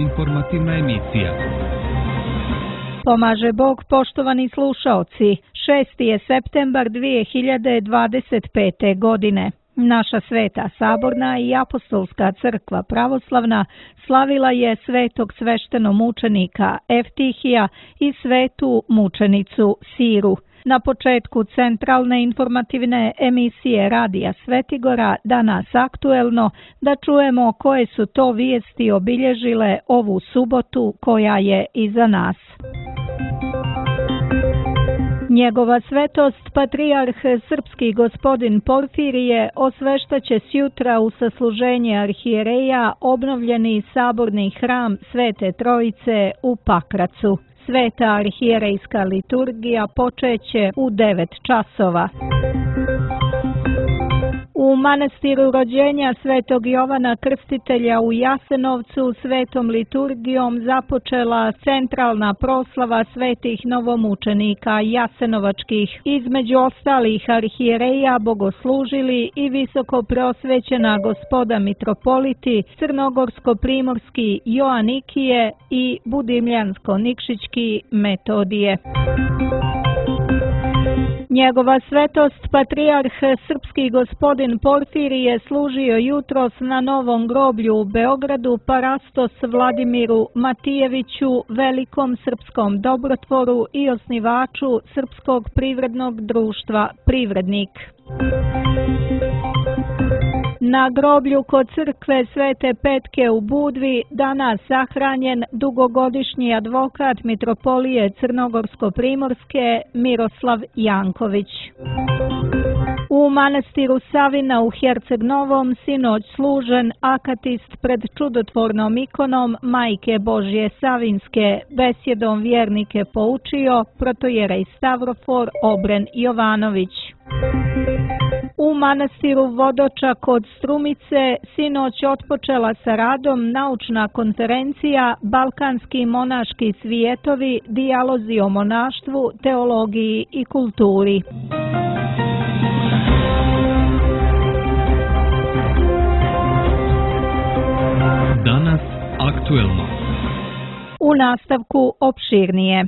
informativna emisija. Pomaže Bog, poštovani slušaoci. 6. je septembar 2025. godine. Naša Sveta Saborna i Apostolska crkva pravoslavna slavila je svetog sveštenomučenika Eftihija i svetu mučenicu Siru. Na početku centralne informativne emisije Radija Svetigora, danas aktuelno, da čujemo koje su to vijesti obilježile ovu subotu koja je iza nas. Njegova svetost, patrijarh srpski gospodin Porfirije, osveštaće sjutra u sasluženje arhijereja obnovljeni saborni hram Svete Trojice u Pakracu. Sveta arhijerejska liturgija počeće u 9 časova. U manastiru rođenja Svetog Jovana Krstitelja u Jasenovcu svetom liturgijom započela centralna proslava svetih novomučenika jasenovačkih. Između ostalih arhijereja bogoslužili i visoko preosvećena gospoda mitropoliti crnogorsko-primorski Joanikije i budimljansko-nikšićki Metodije. Njegova svetost, patrijarh srpski gospodin Porfirije, služio jutros na Novom groblju u Beogradu parastos Vladimiru Matijeviću, velikom srpskom dobrotvoru i osnivaču Srpskog privrednog društva Privrednik. Na groblju kod crkve Svete Petke u Budvi danas sahranjen dugogodišnji advokat mitropolije Crnogorsko-primorske Miroslav Janković. U manastiru Savina u Herceg Novom sinoć služen akatist pred čudotvornom ikonom Majke Božje Savinske, besjedom vjernike poučio protojerej Stavrofor Obren Jovanović. U manastiru Vodoča kod Strumice sinoć otpočela sa radom naučna konferencija Balkanski monaški svijetovi, dijalozi o monaštvu, teologiji i kulturi. Danas aktuelno. U nastavku opširnije.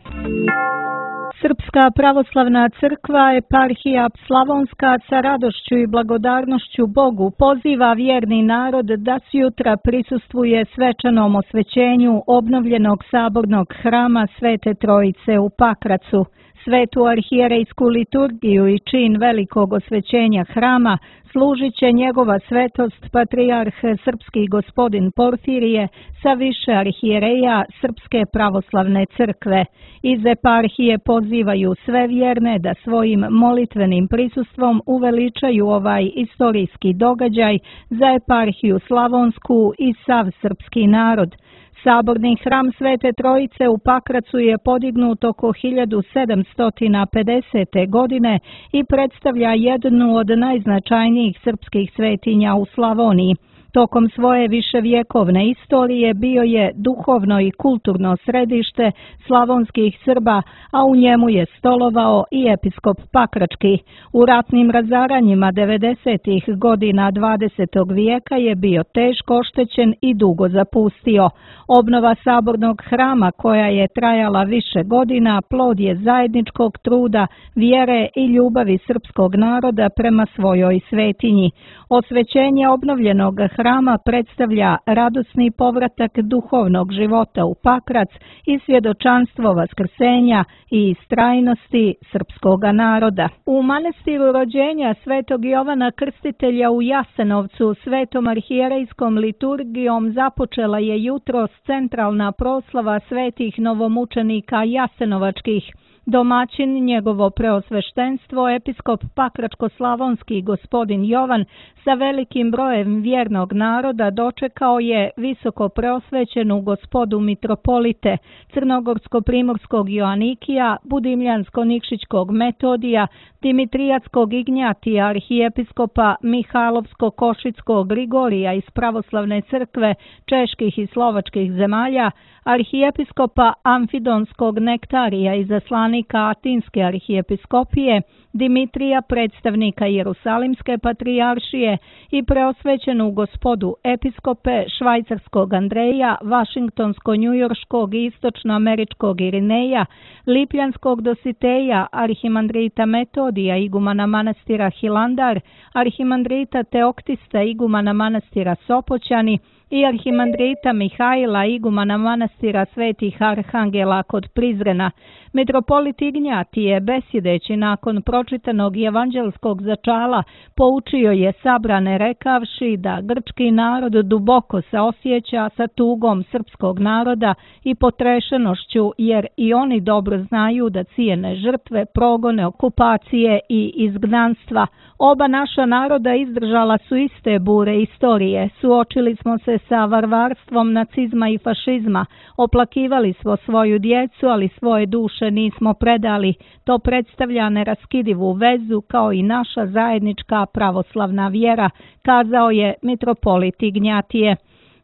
Srpska pravoslavna crkva eparhija Slavonska sa radošću i blagodarnošću Bogu poziva vjerni narod da sjutra prisustvuje svečanom osvećenju obnovljenog sabornog hrama Svete Trojice u Pakracu. Svetu arhijerejsku liturgiju i čin velikog osvećenja hrama služit će njegova svetost patrijarh srpski gospodin Porfirije sa više arhijereja Srpske pravoslavne crkve. Iz eparhije pozivaju sve vjerne da svojim molitvenim prisustvom uveličaju ovaj istorijski događaj za eparhiju Slavonsku i sav srpski narod. Saborni hram Svete Trojice u Pakracu je podignut oko 1750. godine i predstavlja jednu od najznačajnijih srpskih svetinja u Slavoniji. Tokom svoje viševjekovne istorije bio je duhovno i kulturno središte slavonskih Srba, a u njemu je stolovao i episkop Pakrački. U ratnim razaranjima 90. godina 20. vijeka je bio teško oštećen i dugo zapustio. Obnova sabornog hrama, koja je trajala više godina, plod je zajedničkog truda, vjere i ljubavi srpskog naroda prema svojoj svetinji. Osvećenje obnovljenog hrama predstavlja radosni povratak duhovnog života u Pakrac i svjedočanstvo vaskrsenja i istrajnosti srpskoga naroda. U manastiru rođenja Svetog Jovana Krstitelja u Jasenovcu svetom arhijerejskom liturgijom započela je jutros centralna proslava svetih novomučenika jasenovačkih. Domaćin, njegovo preosveštenstvo, episkop Pakračko-slavonski gospodin Jovan sa velikim brojem vjernog naroda dočekao je visoko preosvećenu gospodu mitropolite Crnogorsko-primorskog Joanikija, Budimljansko-nikšićkog Metodija, Dimitrijatskog Ignjatija, arhijepiskopa Mihajlovsko-košickog Grigorija iz pravoslavne crkve čeških i slovačkih zemalja, arhijepiskopa Amfidonskog Nektarija, izaslanika svećenika Atinske arhijepiskopije, Dimitrija, predstavnika Jerusalimske patrijaršije i preosvećenu gospodu episkope švajcarskog Andreja, vašingtonsko-njujorškog i istočnoameričkog Irineja, lipljanskog Dositeja, arhimandrita Metodija, igumana manastira Hilandar, arhimandrita Teoktista, igumana manastira Sopoćani i arhimandrita Mihajla, igumana manastira Svetih Arhangela kod Prizrena. Mitropolit Ignjatije, besjedeći nakon pročitanog evanđelskog začala, poučio je sabrane rekavši da grčki narod duboko se osjeća sa tugom srpskog naroda i potrešenošću, jer i oni dobro znaju da cijene žrtve, progone, okupacije i izgnanstva. Oba naša naroda izdržala su iste bure istorije, suočili smo se sa varvarstvom nacizma i fašizma, oplakivali smo svoju djecu, ali svoje duše nismo predali. To predstavlja neraskidivu vezu kao i naša zajednička pravoslavna vjera, kazao je mitropolit Ignjatije.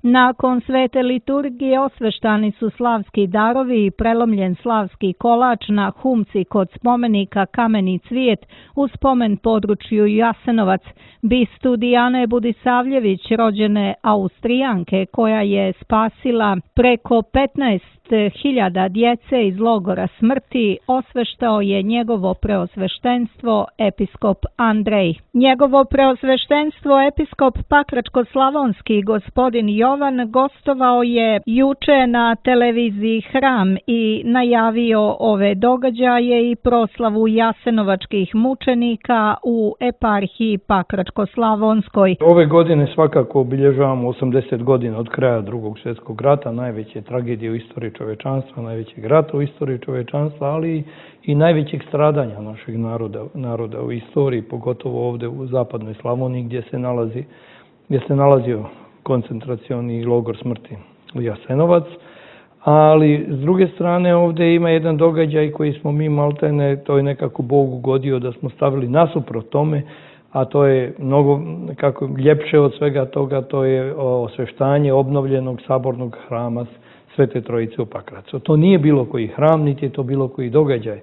Nakon svete liturgije osveštani su slavski darovi i prelomljen slavski kolač na humci kod spomenika Kameni cvijet u spomen području Jasenovac. Bistu Dijane Budisavljević, rođene Austrijanke, koja je spasila preko 15.000 djece iz logora smrti, osveštao je njegovo preosveštenstvo episkop Andrej. Njegovo preosveštenstvo episkop Pakračko-slavonski gospodin Jovan gostovao je juče na televiziji Hram i najavio ove događaje i proslavu jasenovačkih mučenika u eparhiji Pakračko-slavonskoj. Ove godine svakako obilježavamo 80 godina od kraja Drugog svjetskog rata, najveće tragedije u istoriji čovečanstva, najvećeg rata u istoriji čovečanstva, ali i najvećeg stradanja našeg naroda u istoriji, pogotovo ovdje u zapadnoj Slavoniji gdje se nalazio koncentracioni logor smrti u Jasenovac. Ali s druge strane ovdje ima jedan događaj koji smo mi maltene, to je nekako Bog ugodio da smo stavili nasuprot tome, a to je mnogo kako ljepše od svega toga, to je osveštanje obnovljenog sabornog hrama Svete Trojice u Pakracu. To nije bilo koji hram, niti je to bilo koji događaj.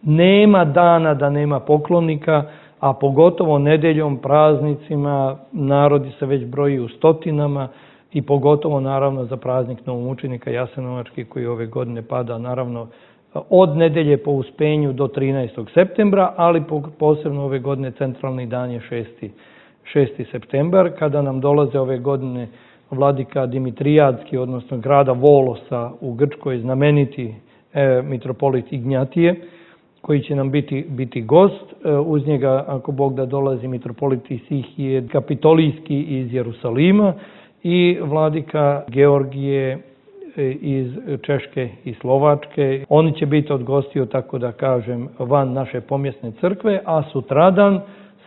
Nema dana da nema poklonika, a pogotovo nedeljom, praznicima, narodi se već broji u stotinama i pogotovo naravno za praznik novomučenika Jasenovački koji ove godine pada naravno od nedelje po uspenju do 13. septembra, ali posebno ove godine centralni dan je 6. septembar, kada nam dolaze ove godine vladika Dimitrijadski, odnosno grada Volosa u Grčkoj, znameniti mitropolit Ignjatije, koji će nam biti gost. Uz njega, ako Bog da, dolazi mitropolit Isihije Kapitolijski iz Jerusalima i vladika Georgije iz Češke i Slovačke. Oni će biti od gostiju, tako da kažem, van naše pomjesne crkve, a sutradan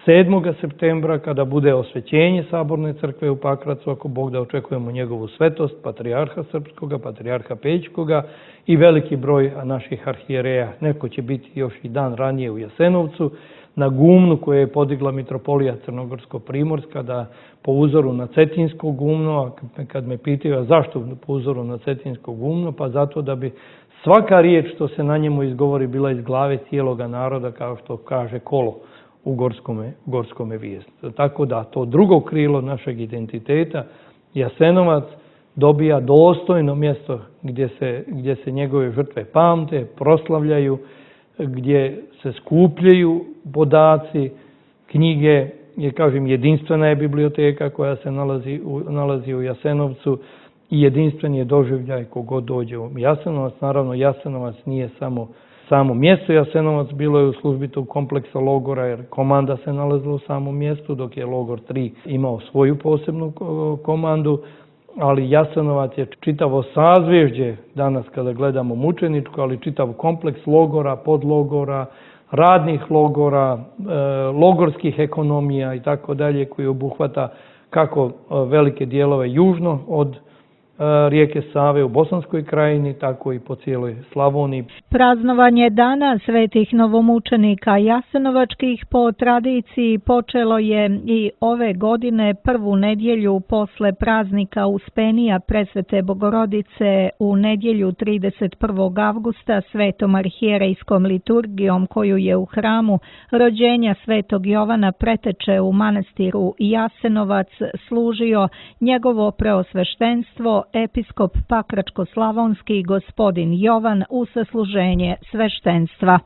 7. septembra, kada bude osvećenje Saborne crkve u Pakracu, ako Bog da, očekujemo njegovu svetost, patrijarha srpskoga, patrijarha Pećkoga i veliki broj naših arhijereja. Neko će biti još i dan ranije u Jasenovcu, na gumnu koje je podigla mitropolija Crnogorsko-Primorska, da po uzoru na Cetinsko gumno, a kad me pitaju zašto po uzoru na Cetinsko gumno, pa zato da bi svaka riječ što se na njemu izgovori bila iz glave cijeloga naroda, kao što kaže kolo u Gorskome vijestu. Tako da to drugo krilo našeg identiteta, Jasenovac, dobija dostojno mjesto gdje se njegove žrtve pamte, proslavljaju, gdje se skupljaju podaci, knjige, kažem, jedinstvena je biblioteka koja se nalazi u Jasenovcu i jedinstven je doživljaj kogod dođe u Jasenovac. Naravno, Jasenovac nije samo mjesto Jasenovac, bilo je u službi tog kompleksa logora, jer komanda se nalazila u samom mjestu, dok je logor 3 imao svoju posebnu komandu, ali Jasenovac je čitavo sazvježđe danas kada gledamo mučeničko, ali čitav kompleks logora, podlogora, radnih logora, logorskih ekonomija i tako dalje, koji obuhvata kako velike dijelove južno rijeke Save u Bosanskoj krajini, tako i po cijeloj Slavoniji. Praznovanje Dana svetih novomučenika jasenovačkih po tradiciji počelo je i ove godine prvu nedjelju posle praznika Uspenija Presvete Bogorodice u nedjelju 31. avgusta svetom arhijerejskom liturgijom koju je u hramu rođenja svetog Jovana Preteče u manastiru Jasenovac služio njegovo preosveštenstvo episkop Pakračko-slavonski gospodin Jovan u sasluženje sveštenstva.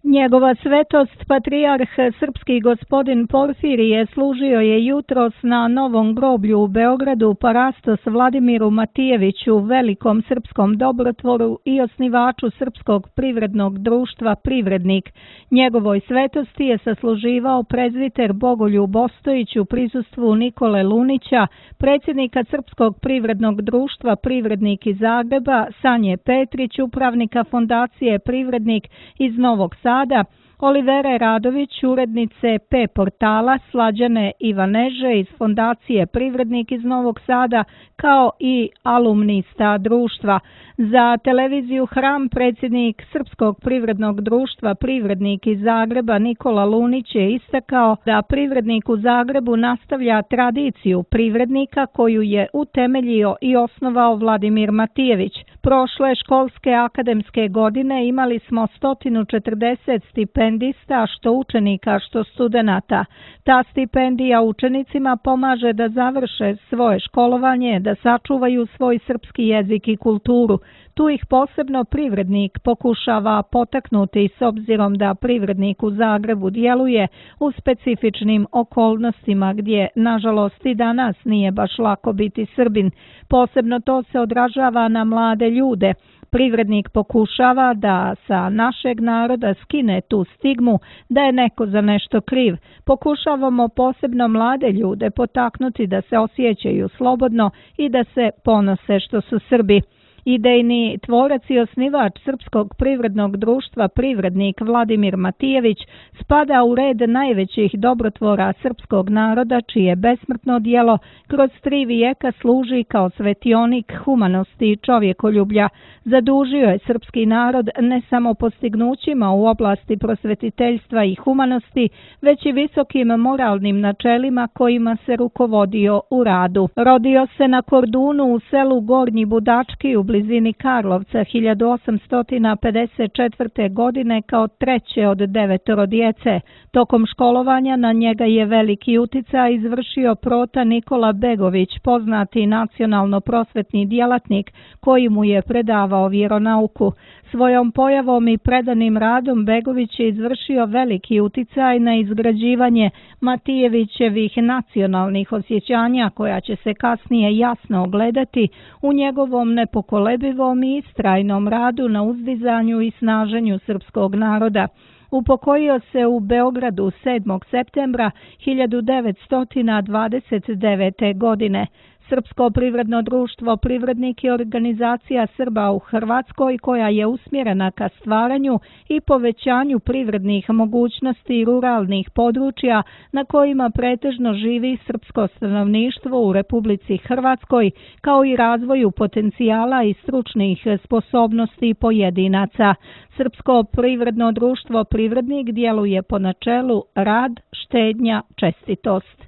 Njegova svetost patrijarh srpski gospodin Porfirije služio je jutros na Novom groblju u Beogradu parastos Vladimiru Matijeviću, velikom srpskom dobrotvoru i osnivaču Srpskog privrednog društva Privrednik. Njegovoj svetosti je sasluživao prezviter Bogoljub Ostojić u prisustvu Nikole Lunića, predsjednika Srpskog privrednog društva Privrednik iz Zagreba, Sanje Petrić, upravnika fondacije Privrednik iz Novog Sada, Olivere Radović, urednice P portala, Slađane Ivaneže iz fondacije Privrednik iz Novog Sada, kao i alumnista društva. Za televiziju Hram predsjednik Srpskog privrednog društva Privrednik iz Zagreba Nikola Lunić je istakao da Privrednik u Zagrebu nastavlja tradiciju privrednika koju je utemeljio i osnovao Vladimir Matijević. Prošle školske akademske godine imali smo 140 stipendista, što učenika, što studenata. Ta stipendija učenicima pomaže da završe svoje školovanje, da sačuvaju svoj srpski jezik i kulturu. Tu ih posebno Privrednik pokušava potaknuti s obzirom da Privrednik u Zagrebu djeluje u specifičnim okolnostima gdje, nažalost, i danas nije baš lako biti Srbin. Posebno to se odražava na mlade ljude. Privrednik pokušava da sa našeg naroda skine tu stigmu da je neko za nešto kriv. Pokušavamo posebno mlade ljude potaknuti da se osjećaju slobodno i da se ponose što su Srbi. Idejni tvorac i osnivač Srpskog privrednog društva Privrednik Vladimir Matijević spada u red najvećih dobrotvora srpskog naroda čije besmrtno djelo kroz 3 vijeka služi kao svetionik humanosti i čovjekoljublja. Zadužio je srpski narod ne samo postignućima u oblasti prosvetiteljstva i humanosti, već i visokim moralnim načelima kojima se rukovodio u radu. Rodio se na Kordunu u selu Gornji Budački u blizini Karlovca 1854. godine kao treće od 9 djece. Tokom školovanja na njega je veliki uticaj izvršio prota Nikola Begović, poznati nacionalno-prosvetni djelatnik koji mu je predavao vjeronauku. Svojom pojavom i predanim radom Begović je izvršio veliki uticaj na izgrađivanje Matijevićevih nacionalnih osjećanja koja će se kasnije jasno ogledati u njegovom nepokolebivom i istrajnom radu na uzdizanju i snaženju srpskog naroda. Upokojio se u Beogradu 7. septembra 1929. godine. Srpsko privredno društvo Privrednik je organizacija Srba u Hrvatskoj koja je usmjerena ka stvaranju i povećanju privrednih mogućnosti ruralnih područja na kojima pretežno živi srpsko stanovništvo u Republici Hrvatskoj, kao i razvoju potencijala i stručnih sposobnosti pojedinaca. Srpsko privredno društvo Privrednik djeluje po načelu rad, štednja, čestitost.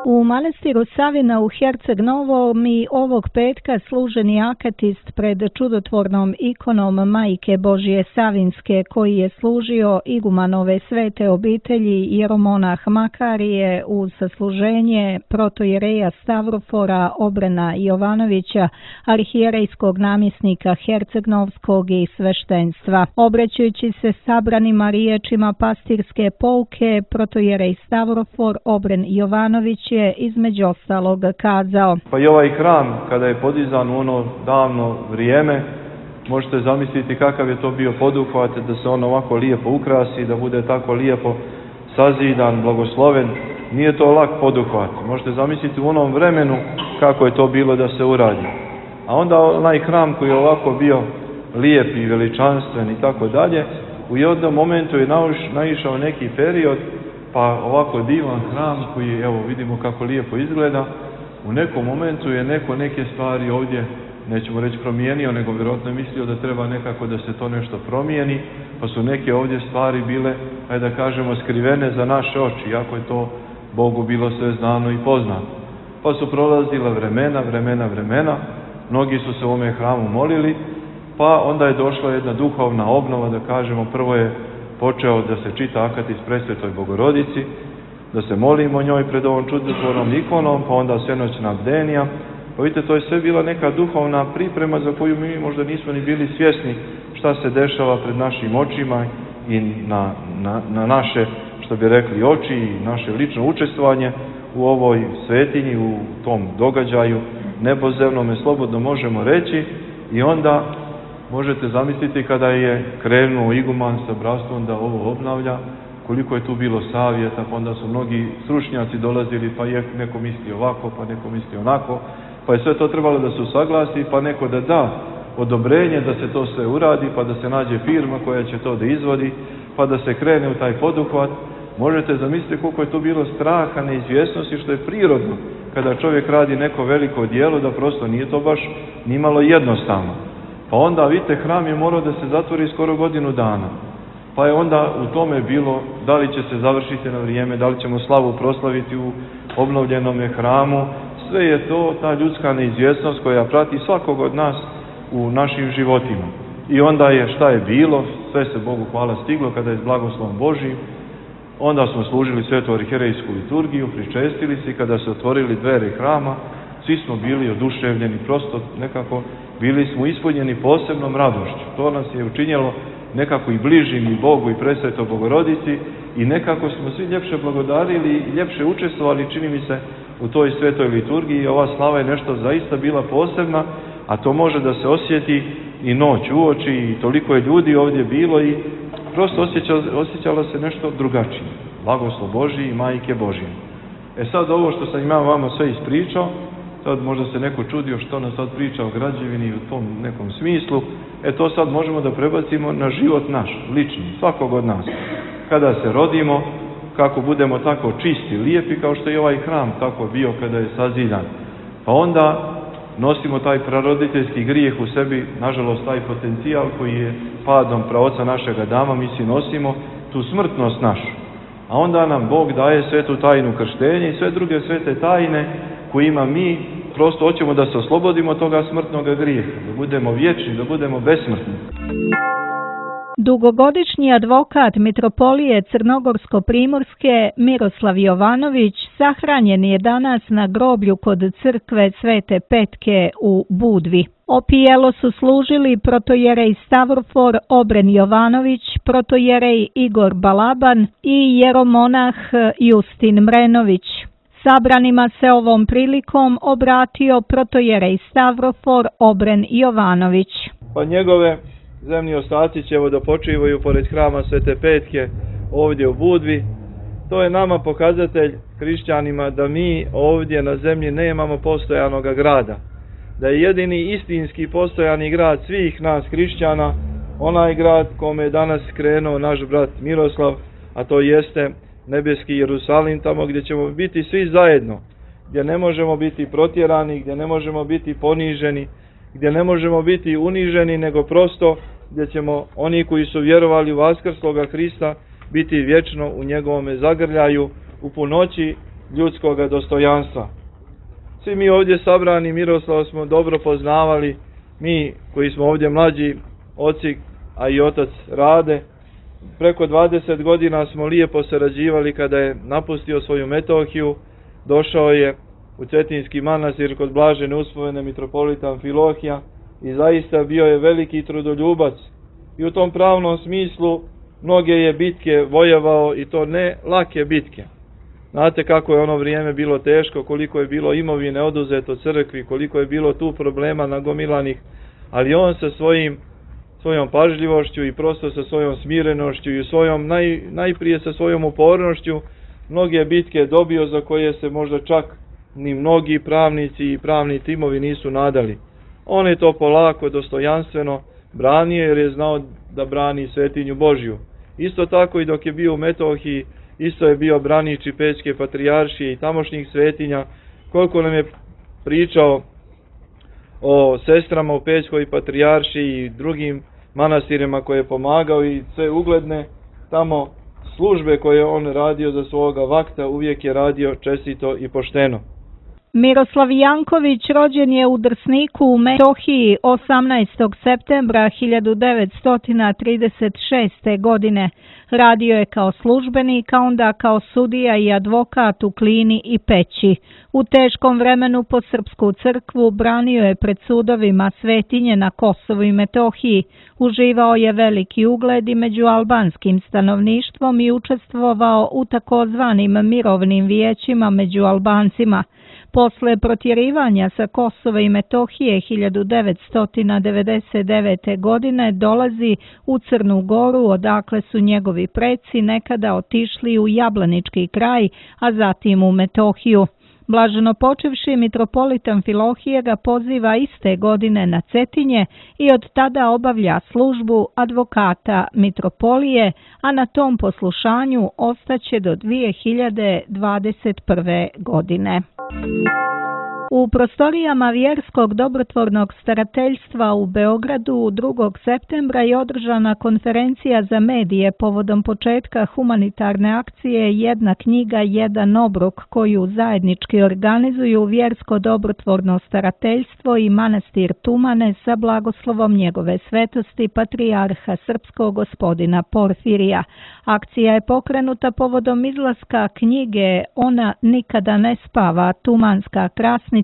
U manastiru Savina u Herceg Novom i ovog petka služeni akatist pred čudotvornom ikonom Majke Božje Savinske koji je služio igumanove svete obitelji jeromonah Makarije uz sasluženje protojereja Stavrofora Obrena Jovanovića, arhijerejskog namjesnika Hercegnovskog i sveštenstva. Obraćajući se sabranima riječima pastirske pouke, protojerej Stavrofor Obren Jovanović je između ostalog kazao: Pa i ovaj hram kada je podizan u ono davno vrijeme, možete zamisliti kakav je to bio poduhvat da se on ovako lijepo ukrasi, da bude tako lijepo sazidan, blagosloven. Nije to lak poduhvat. Možete zamisliti u onom vremenu kako je to bilo da se uradi. A onda onaj hram koji je ovako bio lijep i veličanstven i tako dalje, u jednom momentu je naišao neki period, pa ovako divan hram koji, evo vidimo kako lijepo izgleda, u nekom momentu je neko neke stvari ovdje, nećemo reći promijenio, nego vjerojatno je mislio da treba nekako da se to nešto promijeni, pa su neke ovdje stvari bile, ajde da kažemo, skrivene za naše oči, iako je to Bogu bilo sve znano i poznato. Pa su prolazila vremena, mnogi su se u ovome hramu molili, pa onda je došla jedna duhovna obnova, da kažemo, prvo je počeo da se čita akatis Presvetoj Bogorodici, da se molimo njoj pred ovom čudotvornom ikonom, pa onda svenoćna bdenija. Pa vidite, to je sve bila neka duhovna priprema za koju mi možda nismo ni bili svjesni šta se dešava pred našim očima i na naše, što bi rekli, oči i naše lično učestvovanje u ovoj svetinji, u tom događaju nebozemnome, slobodno možemo reći. I onda možete zamisliti kada je krenuo iguman sa bratstvom da ovo obnavlja, koliko je tu bilo savjeta, pa onda su mnogi stručnjaci dolazili, pa je neko misli ovako, pa neko misli onako, pa je sve to trebalo da se usaglasi, pa neko da da odobrenje da se to sve uradi, pa da se nađe firma koja će to da izvodi, pa da se krene u taj poduhvat. Možete zamisliti koliko je tu bilo straha, neizvjesnosti, što je prirodno kada čovjek radi neko veliko djelo, da prosto nije to baš nimalo jednostavno. Pa onda, vidite, hram je morao da se zatvori skoro godinu dana. Pa je onda u tome bilo da li će se završiti na vrijeme, da li ćemo slavu proslaviti u obnovljenome hramu. Sve je to ta ljudska neizvjesnost koja prati svakog od nas u našim životima. I onda je šta je bilo, sve se Bogu hvala stiglo kada je s blagoslovom Božijim. Onda smo služili svetu arhijerejsku liturgiju, pričestili se, kada se otvorili dvere hrama, svi smo bili oduševljeni, prosto nekako bili smo ispunjeni posebnom radošću. To nas je učinjelo nekako i bližim i Bogu i Presvetoj Bogorodici i nekako smo svi ljepše blagodarili i ljepše učestvovali, čini mi se, u toj svetoj liturgiji. Ova slava je nešto zaista bila posebna, a to može da se osjeti i noć uoči i toliko je ljudi ovdje bilo i prosto osjećalo se nešto drugačije. Blagoslov Božji i Majke Božje. Sad ovo što sam imao vama sve ispričao, sad možda se neko čudio što nas sad priča o građevini u tom nekom smislu, to sad možemo da prebacimo na život naš, lični, svakog od nas. Kada se rodimo, kako budemo tako čisti, lijepi, kao što je ovaj hram tako bio kada je sazidjan. Pa onda nosimo taj praroditeljski grijeh u sebi, nažalost taj potencijal koji je padom praoca našega Adama, mi si nosimo tu smrtnost našu. A onda nam Bog daje svetu tajnu krštenja i sve druge svete tajne kojima mi prosto hoćemo da se oslobodimo toga smrtnog grijeha, da budemo vječni, da budemo besmrtni. Dugogodišnji advokat mitropolije Crnogorsko-primorske Miroslav Jovanović sahranjen je danas na groblju kod crkve Svete Petke u Budvi. Opijelo su služili protojerej Stavrofor Obren Jovanović, protojerej Igor Balaban i jeromonah Justin Mrenović. Sabranima se ovom prilikom obratio protojerej Stavrofor Obren Jovanović. Pa njegove zemlji ostaci će da počivaju pored hrama Svete Petke ovdje u Budvi. To je nama pokazatelj, hrišćanima, da mi ovdje na zemlji nemamo postojanog grada. Da je jedini istinski postojani grad svih nas hrišćana onaj grad kome je danas krenuo naš brat Miroslav, a to jeste nebeski Jerusalim, tamo gdje ćemo biti svi zajedno, gdje ne možemo biti protjerani, gdje ne možemo biti poniženi, gdje ne možemo biti uniženi, nego prosto gdje ćemo oni koji su vjerovali u vaskrsloga Hrista biti vječno u njegovome zagrljaju, u punoći ljudskog dostojanstva. Svi mi ovdje sabrani Miroslava smo dobro poznavali, mi koji smo ovdje mlađi, oci, a i otac Rade. Preko 20 godina smo lijepo sarađivali kada je napustio svoju Metohiju, došao je u Cetinski manastir kod blažene uspomene mitropolita Amfilohija i zaista bio je veliki trudoljubac i u tom pravnom smislu mnoge je bitke vojevao i to ne lake bitke. Znate kako je ono vrijeme bilo teško, koliko je bilo imovine oduzeto crkvi, koliko je bilo tu problema nagomilanih, ali on sa svojom pažljivošću i prosto sa svojom smirenošću i najprije sa svojom upornošću mnoge bitke dobio za koje se možda čak ni mnogi pravnici i pravni timovi nisu nadali. On je to polako, dostojanstveno branio jer je znao da brani svetinju Božju. Isto tako i dok je bio u Metohiji, isto je bio branič i Pećke patrijaršije i tamošnjih svetinja. Koliko nam je pričao o sestrama u Pećkoj patrijarši i drugim manastirima koje je pomagao i sve ugledne tamo službe koje je on radio za svoga vakta, uvijek je radio čestito i pošteno. Miroslav Janković rođen je u Drsniku u Metohiji 18. septembra 1936. godine. Radio je kao službenik, a onda kao sudija i advokat u Klini i Peći. U teškom vremenu po Srpsku crkvu branio je pred sudovima svetinje na Kosovu i Metohiji. Uživao je veliki ugled i među albanskim stanovništvom i učestvovao u takozvanim mirovnim vijećima među Albancima. Posle protjerivanja sa Kosova i Metohije 1999. godine dolazi u Crnu Goru, odakle su njegovi preci nekada otišli u Jablanički kraj, a zatim u Metohiju. Blaženo počivši mitropolit Amfilohije ga poziva iste godine na Cetinje i od tada obavlja službu advokata mitropolije, a na tom poslušanju ostaće do 2021. godine. U prostorijama Vjerskog dobrotvornog starateljstva u Beogradu 2. septembra je održana konferencija za medije povodom početka humanitarne akcije Jedna knjiga, jedan obrok, koju zajednički organizuju Vjersko dobrotvorno starateljstvo i manastir Tumane sa blagoslovom njegove svetosti patrijarha srpskog gospodina Porfirija. Akcija je pokrenuta povodom izlaska knjige Ona nikada ne spava, Tumanska krasnica,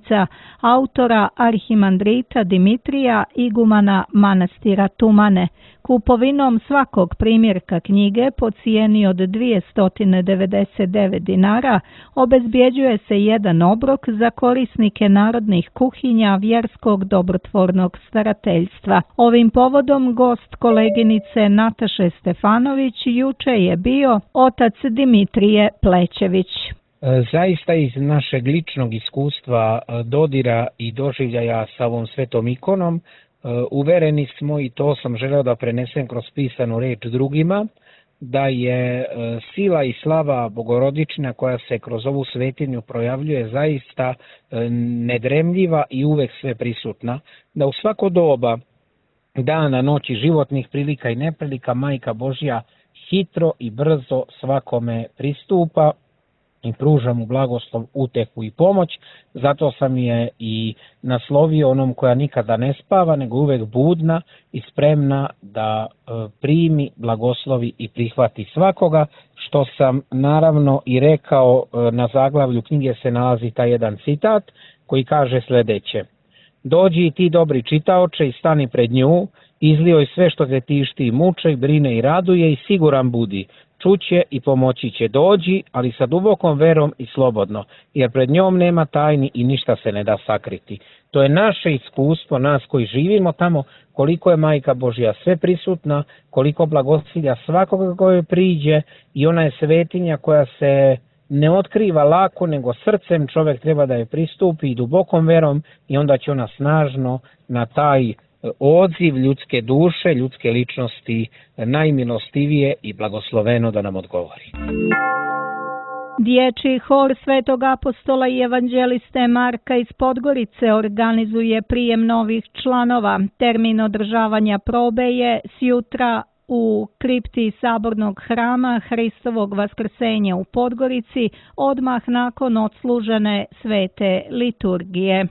autora arhimandrita Dimitrija, igumana manastira Tumane. Kupovinom svakog primjerka knjige po cijeni od 299 dinara obezbjeđuje se jedan obrok za korisnike narodnih kuhinja Vjerskog dobrotvornog starateljstva. Ovim povodom gost koleginice Nataše Stefanović juče je bio otac Dimitrije Plećević. Zaista iz našeg ličnog iskustva, dodira i doživljaja sa ovom svetom ikonom, uvereni smo, i to sam želeo da prenesem kroz pisanu reč drugima, da je sila i slava Bogorodična koja se kroz ovu svetinju projavljuje zaista nedremljiva i uvek sve prisutna, da u svako doba dana, noći, životnih prilika i neprilika Majka Božja hitro i brzo svakome pristupa i pruža mu blagoslov, utehu i pomoć. Zato sam je i naslovio onom koja nikada ne spava, nego uvek budna i spremna da primi, blagoslovi i prihvati svakoga, što sam naravno i rekao. Na zaglavlju knjige se nalazi taj jedan citat koji kaže sljedeće: dođi i ti dobri čitaoče i stani pred nju, izlijoj sve što te tišti i muče i brine i raduje i siguran budi, čuće i pomoći će. Dođi, ali sa dubokom verom i slobodno, jer pred njom nema tajni i ništa se ne da sakriti. To je naše iskustvo, nas koji živimo tamo, koliko je Majka Božja sve prisutna, koliko blagosilja svakoga koje priđe, i ona je svetinja koja se ne otkriva lako, nego srcem čovjek treba da je pristupi i dubokom verom, i onda će ona snažno na taj odziv ljudske duše, ljudske ličnosti najmilostivije i blagosloveno da nam odgovori. Dječji hor Svetog apostola i evanđeliste Marka iz Podgorice organizuje prijem novih članova. Termin održavanja probe je sjutra u kripti Sabornog hrama Hristovog vaskrsenja u Podgorici, odmah nakon odslužene svete liturgije.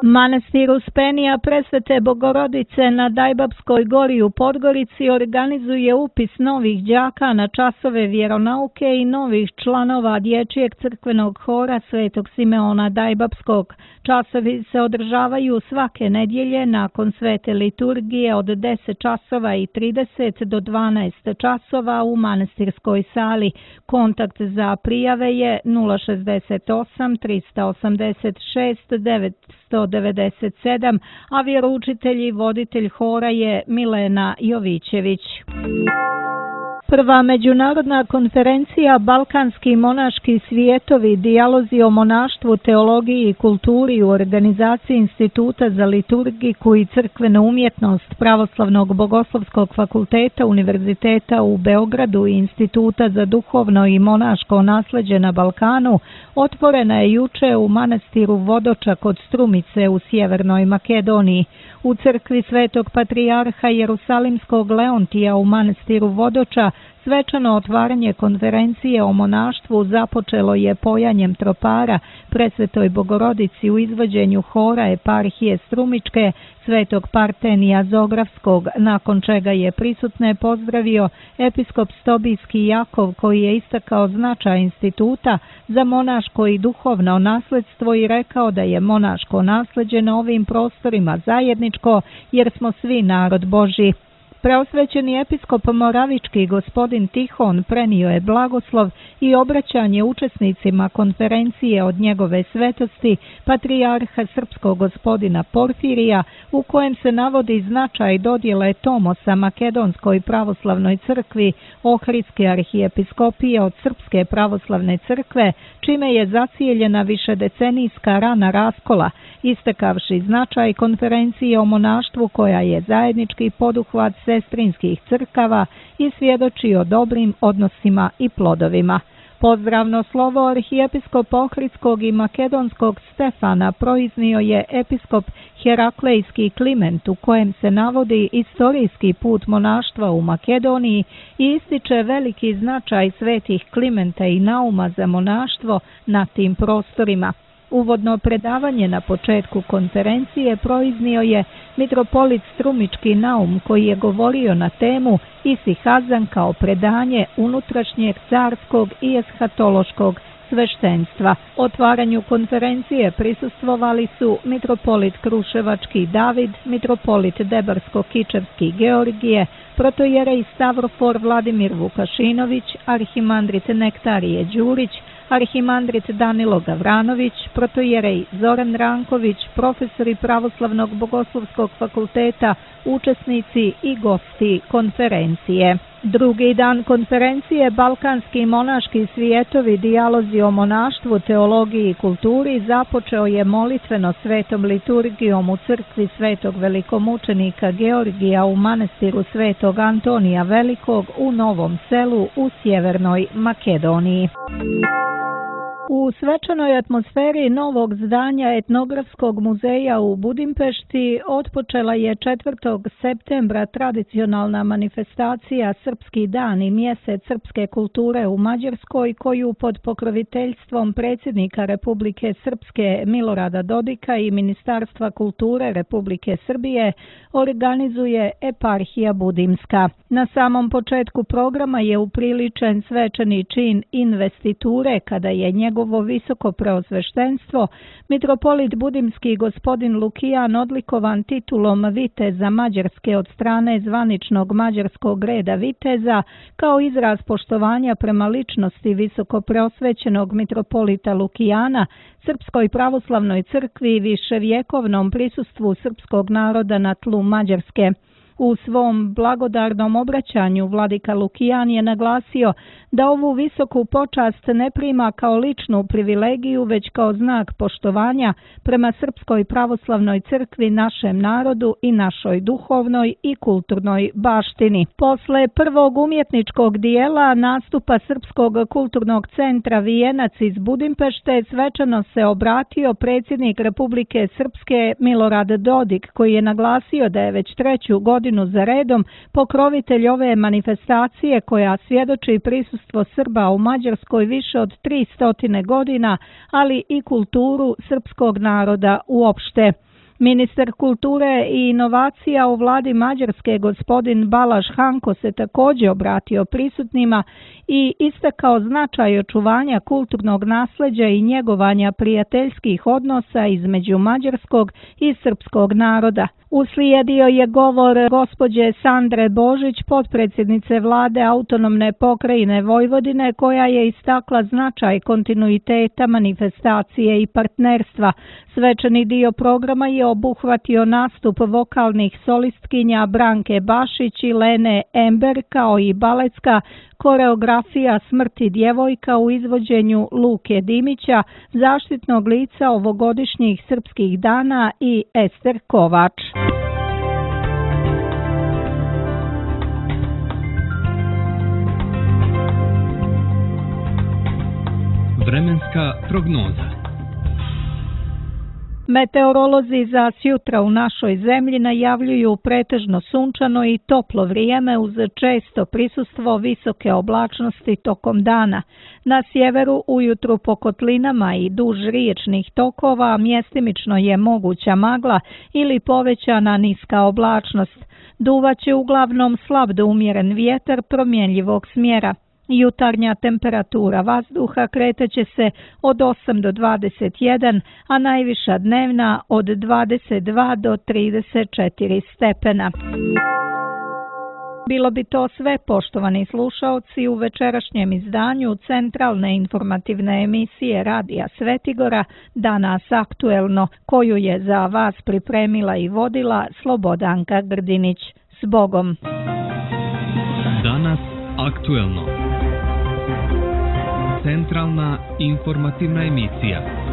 Manastir Uspenija Presvete Bogorodice na Dajbabskoj gori u Podgorici organizuje upis novih đaka na časove vjeronauke i novih članova dječjeg crkvenog hora Svetog Simeona Dajbabskog. Časovi se održavaju svake nedjelje nakon svete liturgije od 10:30 do 12 časova u manastirskoj sali. Kontakt za prijave je 068 386 997, a vjeroučitelj i voditelj hora je Milena Jovićević. Prva međunarodna konferencija Balkanski monaški svijetovi, dijalozi o monaštvu, teologiji i kulturi u organizaciji Instituta za liturgiku i crkvenu umjetnost Pravoslavnog bogoslovskog fakulteta Univerziteta u Beogradu i Instituta za duhovno i monaško nasleđe na Balkanu otvorena je juče u manastiru Vodoča kod Strumice u Sjevernoj Makedoniji. U crkvi Svetog patrijarha Jerusalimskog Leontija u manastiru Vodoča svečano otvaranje konferencije o monaštvu započelo je pojanjem tropara Presvetoj Bogorodici u izvođenju hora eparhije Strumičke Svetog Partenija Zografskog, nakon čega je prisutne pozdravio episkop Stobijski Jakov, koji je istakao značaj instituta za monaško i duhovno nasledstvo i rekao da je monaško nasleđe na ovim prostorima zajedničko jer smo svi narod Božji. Preosvećeni episkop Moravički gospodin Tihon prenio je blagoslov i obraćanje učesnicima konferencije od njegove svetosti patrijarha srpskog gospodina Porfirija, u kojem se navodi značaj dodjele Tomosa Makedonskoj pravoslavnoj crkvi Ohridske arhijepiskopije od Srpske pravoslavne crkve, čime je zacijeljena višedecenijska rana raskola, istakavši značaj konferencije o monaštvu koja je zajednički poduhvat sestrinskih crkava i svjedoči o dobrim odnosima i plodovima. Pozdravno slovo arhijepiskopa Ohridskog i makedonskog Stefana proiznio je episkop Heraklejski Kliment, u kojem se navodi istorijski put monaštva u Makedoniji i ističe veliki značaj svetih Klimenta i Nauma za monaštvo na tim prostorima. Uvodno predavanje na početku konferencije proiznio je mitropolit Strumički Naum, koji je govorio na temu Isihazan kao predanje unutrašnjeg carskog i eshatološkog sveštenstva. Otvaranju konferencije prisustvovali su mitropolit Kruševački David, mitropolit Debarsko-Kičevski Georgije, protojerej Stavrofor Vladimir Vukašinović, arhimandrit Nektarije Đurić, arhimandrit Danilo Gavranović, protojerej Zoran Ranković, profesori Pravoslavnog bogoslovskog fakulteta, učesnici i gosti konferencije. Drugi dan konferencije Balkanski monaški svijetovi, dijalozi o monaštvu, teologiji i kulturi započeo je molitveno svetom liturgijom u crkvi Svetog velikomučenika Georgija u manastiru Svetog Antonija Velikog u Novom Selu u Sjevernoj Makedoniji. U svečanoj atmosferi novog zdanja Etnografskog muzeja u Budimpešti otpočela je 4. septembra tradicionalna manifestacija Srpski dan i mjesec srpske kulture u Mađarskoj, koju pod pokroviteljstvom predsjednika Republike Srpske Milorada Dodika i Ministarstva kulture Republike Srbije organizuje eparhija Budimska. Na samom početku programa je upriličen svečani čin investiture kada je njegovo visoko preosveštenstvo, mitropolit Budimski gospodin Lukijan odlikovan titulom viteza Mađarske od strane zvaničnog mađarskog reda viteza kao izraz poštovanja prema ličnosti visoko preosvećenog mitropolita Lukijana, Srpskoj pravoslavnoj crkvi i viševjekovnom prisustvu srpskog naroda na tlu Mađarske. U svom blagodarnom obraćanju vladika Lukijan je naglasio da ovu visoku počast ne prima kao ličnu privilegiju, već kao znak poštovanja prema Srpskoj pravoslavnoj crkvi, našem narodu i našoj duhovnoj i kulturnoj baštini. Posle prvog umjetničkog dijela nastupa Srpskog kulturnog centra Vijenac iz Budimpešte svečano se obratio predsjednik Republike Srpske Milorad Dodik, koji je naglasio da je već 3. godinu za redom pokrovitelj ove manifestacije koja svjedoči prisustvo Srba u Mađarskoj više od 300 godina, ali i kulturu srpskog naroda uopšte. Ministar kulture i inovacija u vladi Mađarske gospodin Balaš Hanko se također obratio prisutnima i istakao značaj očuvanja kulturnog nasljeđa i njegovanja prijateljskih odnosa između mađarskog i srpskog naroda. Uslijedio je govor gospođe Sandre Božić, potpredsjednice vlade autonomne pokrajine Vojvodine, koja je istakla značaj kontinuiteta manifestacije i partnerstva. Svečani dio programa je obuhvatio nastup vokalnih solistkinja Branke Bašić i Lene Ember kao i baletska koreografija Smrti djevojka u izvođenju Luke Dimića, zaštitnog lica ovogodišnjih srpskih dana, i Ester Kovač. Vremenska prognoza. Meteorolozi za sjutra u našoj zemlji najavljuju pretežno sunčano i toplo vrijeme uz često prisustvo visoke oblačnosti tokom dana. Na sjeveru ujutru po kotlinama i duž riječnih tokova mjestimično je moguća magla ili povećana niska oblačnost. Duvaće uglavnom slab do umjeren vjetar promjenjivog smjera. Jutarnja temperatura vazduha kretaće se od 8 do 21, a najviša dnevna od 22 do 34 stepena. Bilo bi to sve, poštovani slušaoci, u večerašnjem izdanju centralne informativne emisije Radija Svetigora Danas aktuelno, koju je za vas pripremila i vodila Slobodanka Grdinić. S Bogom! Danas aktuelno. Centralna informativna emisija.